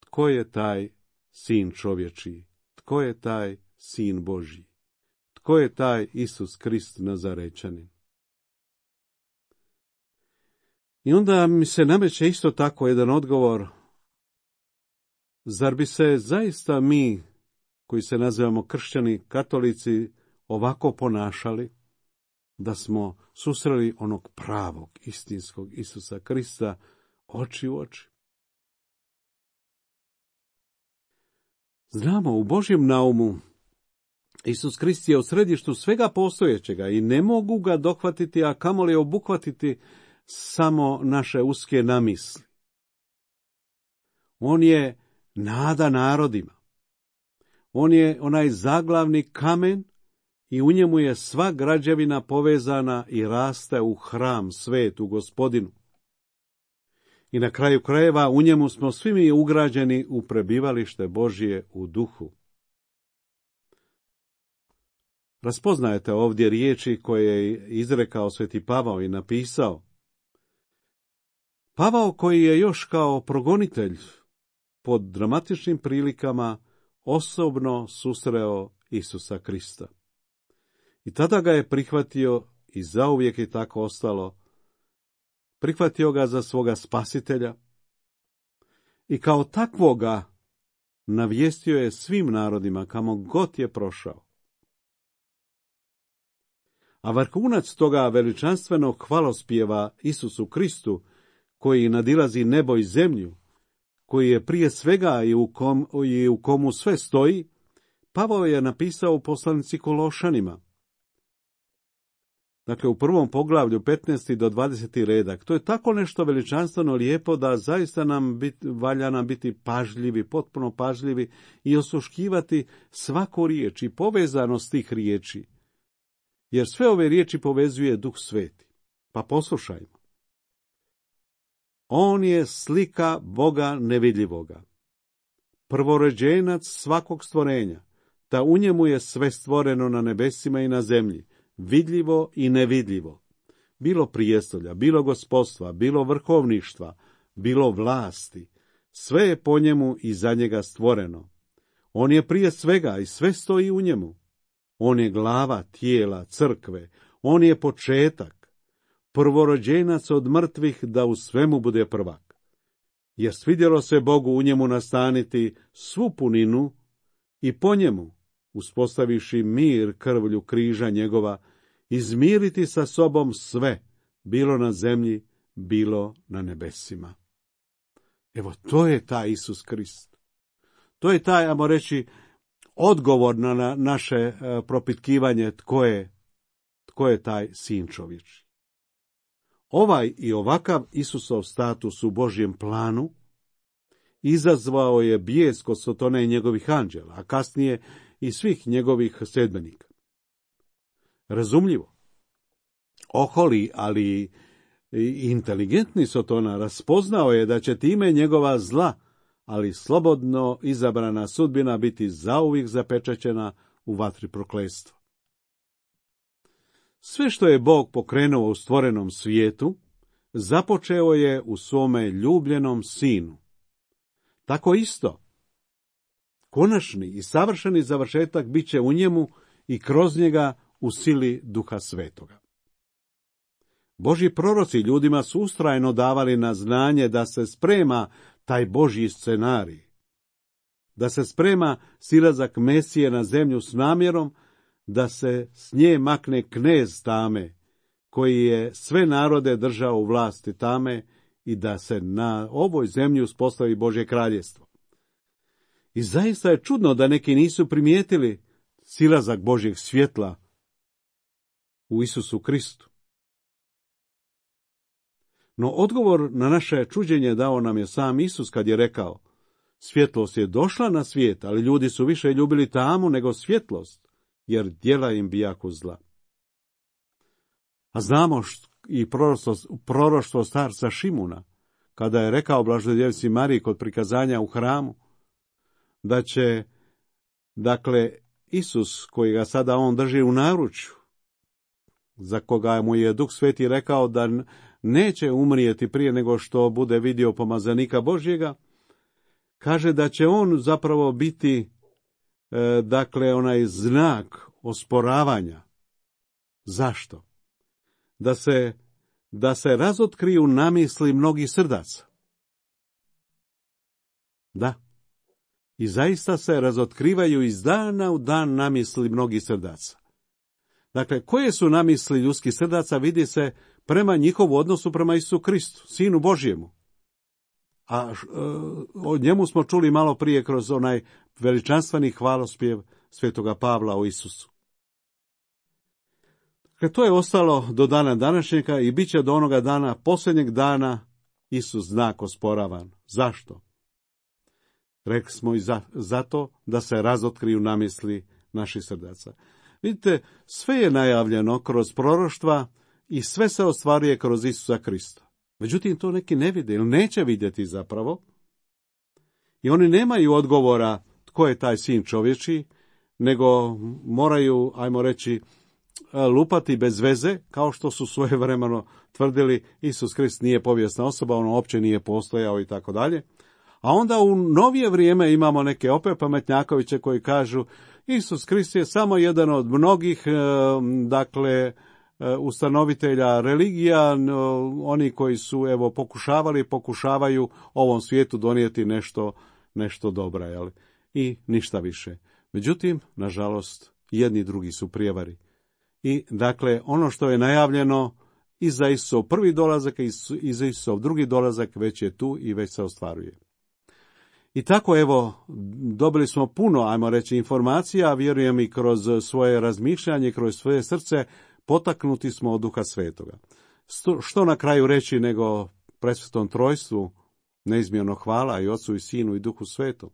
tko je taj Sin čovječiji? Tko je taj Sin Božji? Tko je taj Isus Krist Nazarečanin? I onda mi se nameće isto tako jedan odgovor: zar bi se zaista mi, koji se nazivamo kršćani, katolici, ovako ponašali da smo susreli onog pravog, istinskog Isusa Krista oči u oči? Znamo, u Božjem naumu Isus Krist je u središtu svega postojećega i ne mogu ga dohvatiti, a kamoli obuhvatiti samo naše uske namisli. On je nada narodima. On je onaj zaglavni kamen i u njemu je sva građevina povezana i raste u hram svetu Gospodinu. I na kraju krajeva u njemu smo svi mi ugrađeni u prebivalište Božje u duhu. Raspoznajete ovdje riječi koje je izrekao sveti Pavao i napisao. Pavao, koji je još kao progonitelj pod dramatičnim prilikama osobno susreo Isusa Krista. I tada ga je prihvatio i zauvijek je tako ostalo. Prihvatio ga za svoga spasitelja i kao takvoga navijestio je svim narodima kamo god je prošao. A vrhunac toga veličanstvenog hvalospjeva Isusu Kristu, koji nadilazi nebo i zemlju, koji je prije svega i u, kom, i u komu sve stoji, Pavao je napisao u poslanici Kološanima. Dakle, u prvom poglavlju, petnaesti do dvadeseti redak. To je tako nešto veličanstveno lijepo da zaista nam bit, valja nam biti pažljivi, potpuno pažljivi i osluškivati svaku riječ i povezanost tih riječi. Jer sve ove riječi povezuje Duh Sveti. Pa poslušajmo. On je slika Boga nevidljivoga, prvorođenac svakog stvorenja, ta u njemu je sve stvoreno na nebesima i na zemlji, vidljivo i nevidljivo, bilo prijestolja, bilo gospodstva, bilo vrhovništva, bilo vlasti, sve je po njemu i za njega stvoreno. On je prije svega i sve stoji u njemu. On je glava tijela crkve, on je početak, prvorođenac od mrtvih da u svemu bude prvak. Jer svidjelo se Bogu u njemu nastaniti svu puninu i po njemu, uspostaviši mir krvlju križa njegova, izmiriti sa sobom sve, bilo na zemlji, bilo na nebesima. Evo, to je taj Isus Krist. To je taj, ajmo reći, odgovor na naše propitkivanje tko je, tko je taj sin čovječji. Ovaj i ovakav Isusov status u Božjem planu izazvao je bijes kod Sotone i njegovih anđela, a kasnije i svih njegovih sedbenika. Razumljivo, oholi, ali i inteligentni Sotona raspoznao je da će time njegova zla, ali slobodno izabrana sudbina biti zauvijek zapečaćena u vatri prokletstva. Sve što je Bog pokrenuo u stvorenom svijetu, započeo je u svome ljubljenom sinu. Tako isto, konačni i savršeni završetak bit će u njemu i kroz njega u sili Duha Svetoga. Božji proroci ljudima su ustrajno davali na znanje da se sprema taj Božji scenarij, da se sprema silazak Mesije na zemlju s namjerom da se s nje makne knez tame, koji je sve narode držao u vlasti tame i da se na ovoj zemlji uspostavi Božje kraljevstvo. I zaista je čudno da neki nisu primijetili silazak Božjeg svjetla u Isusu Kristu. No odgovor na naše čuđenje dao nam je sam Isus kad je rekao: svjetlost je došla na svijet, ali ljudi su više ljubili tamu nego svjetlost, jer djela im bijahu zla. A znamo št, i proroštvo, proroštvo starca Šimuna, kada je rekao Blažedjevici Mariji kod prikazanja u hramu, da će, dakle, Isus, koji ga sada on drži u naručju, za koga mu je Duh Sveti rekao da neće umrijeti prije nego što bude vidio pomazanika Božjega, kaže da će on zapravo biti, e, dakle, onaj znak osporavanja. Zašto? Da se, da se razotkriju namisli mnogih srdaca. Da. I zaista se razotkrivaju iz dana u dan namisli mnogih srdaca. Dakle, koje su namisli ljudskih srdaca vidi se prema njihovu odnosu prema Isusu Kristu, Sinu Božjemu. A e, o njemu smo čuli malo prije kroz onaj veličanstveni hvalospjev svetoga Pavla o Isusu. Dakle, to je ostalo do dana današnjega i bit će do onoga dana, posljednjeg dana, Isus znak osporavan. Zašto? Rekli smo i za, zato da se razotkriju namisli naših srdaca. Vidite, sve je najavljeno kroz proroštva i sve se ostvaruje kroz Isusa Krista. Međutim, to neki ne vide ili neće vidjeti zapravo. I oni nemaju odgovora tko je taj sin čovječiji, nego moraju, ajmo reći, lupati bez veze, kao što su svojevremeno tvrdili Isus Krist nije povijesna osoba, on uopće nije postojao i tako dalje. A onda u novije vrijeme imamo neke opet pametnjakoviće koji kažu Isus Krist je samo jedan od mnogih, dakle, ustanovitelja religija, oni koji su, evo, pokušavali, pokušavaju ovom svijetu donijeti nešto, nešto dobra, jel? I ništa više. Međutim, nažalost, jedni i drugi su prijevari. I, dakle, ono što je najavljeno i za Isusov prvi dolazak i za Isusov drugi dolazak već je tu i već se ostvaruje. I tako, evo, dobili smo puno, ajmo reći, informacija, vjerujem i kroz svoje razmišljanje, kroz svoje srce, potaknuti smo od Duha Svetoga. Što na kraju reći nego presvetom trojstvu, neizmjerno hvala i Otcu i Sinu i Duhu Svetom.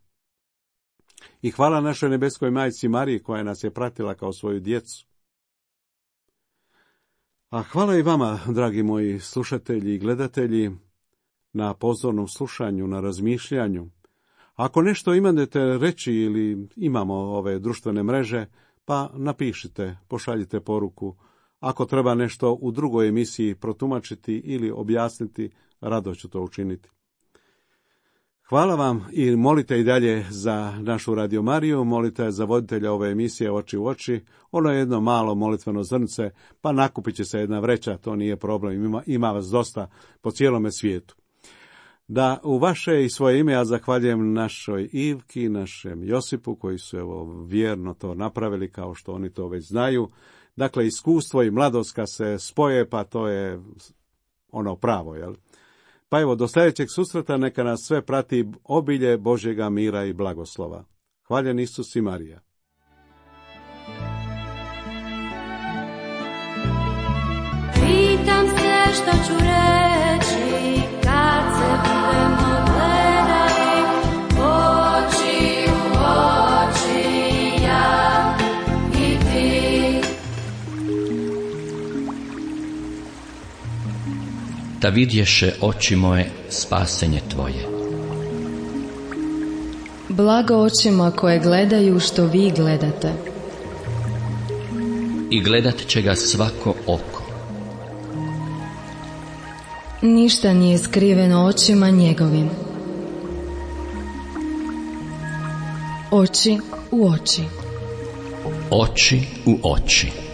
I hvala našoj nebeskoj majci Mariji koja nas je pratila kao svoju djecu. A hvala i vama, dragi moji slušatelji i gledatelji, na pozornom slušanju, na razmišljanju. Ako nešto imate reći ili imamo ove društvene mreže, pa napišite, pošaljite poruku. Ako treba nešto u drugoj emisiji protumačiti ili objasniti, rado ću to učiniti. Hvala vam i molite i dalje za našu Radio Mariju, molite za voditelja ove emisije Oči u oči. Ono je jedno malo molitveno zrnce, pa nakupit će se jedna vreća, to nije problem, ima, ima vas dosta po cijelome svijetu. Da u vaše i svoje ime ja zahvaljujem našoj Ivki, našem Josipu, koji su evo vjerno to napravili kao što oni to već znaju. Dakle, iskustvo i mladost kad se spoje, pa to je ono pravo, jel? Pa evo, do sljedećeg susreta neka nas sve prati obilje Božjega mira i blagoslova. Hvaljen Isus i Marija. Pitam se što ću reći kad se budemo gledali oči u oči, ja i ti. Da vidješe oči moje spasenje tvoje. Blago očima koje gledaju što vi gledate. i gledat će ga svako oko. Ništa nije skriveno očima njegovim. Oči u oči. Oči u oči.